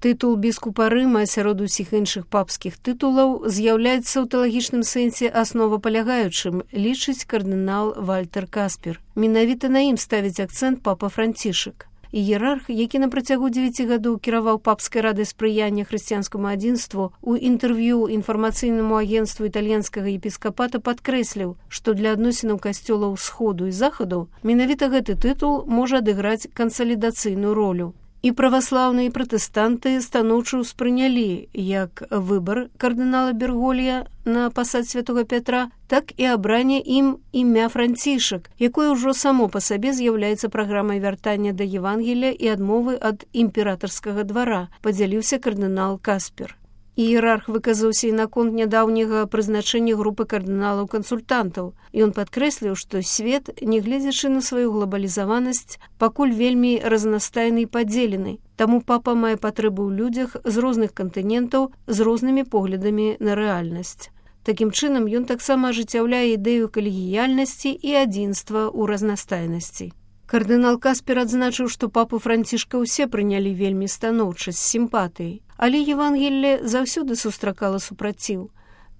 Тытул біскупа Рыма сярод усіх іншых папскіх тытулаў з'яўляецца ў тэалагічным сэнсе асновапалягаючым, лічыць кардынал Вальтер Каспер. Менавіта на ім ставіць акцэнт папа Францішак. Іерарх, які на працягу 9 гадоў кіраваў папскай радай спрыяння хрысціянскаму адзінству, у інтэрв'ю інфармацыйнаму агенцтву італьянскага епіскапата падкрэсліў, што для адносінаў касцёлаў Сходу і Захаду менавіта гэты тытул можа адыграць кансалідацыйную ролю. І праваслаўныя і пратэстанты станоўча ўспрынялі як выбар кардынала Берголья на пасад святога Пятра, так і абранне ім імя Францішак, якое ўжо само па сабе з'яўляецца праграмай вяртання да Евангелія і адмовы ад імператарскага двара, падзяліўся кардынал Каспер. Іерарх выказаўся і наконт нядаўняга прызначэння групы кардыналаў-кансультантаў. Ён падкрэсліў, што свет, нягледзячы на сваю глабалізаванасць, пакуль вельмі разнастайны і падзелены. Таму папа мае патрэбу ў людзях з розных кантынентаў з рознымі поглядамі на рэальнасць. Такім чынам, ён таксама ажыццяўляе ідэю калегіяльнасці і адзінства ў разнастайнасці. Кардынал Каспер адзначыў, што папу Францішка ўсе прынялі вельмі станоўча, з сімпатыяй, але Евангелле заўсёды сустракала супраціў.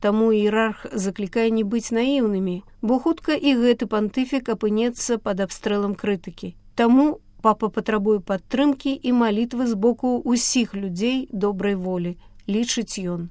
Таму іерарх заклікае не быць наіўнымі, бо хутка і гэты пантыфік апынецца пад абстрэлам крытыкі. Таму папа патрабуе падтрымкі і малітвы з боку ўсіх людзей добрай волі, лічыць ён.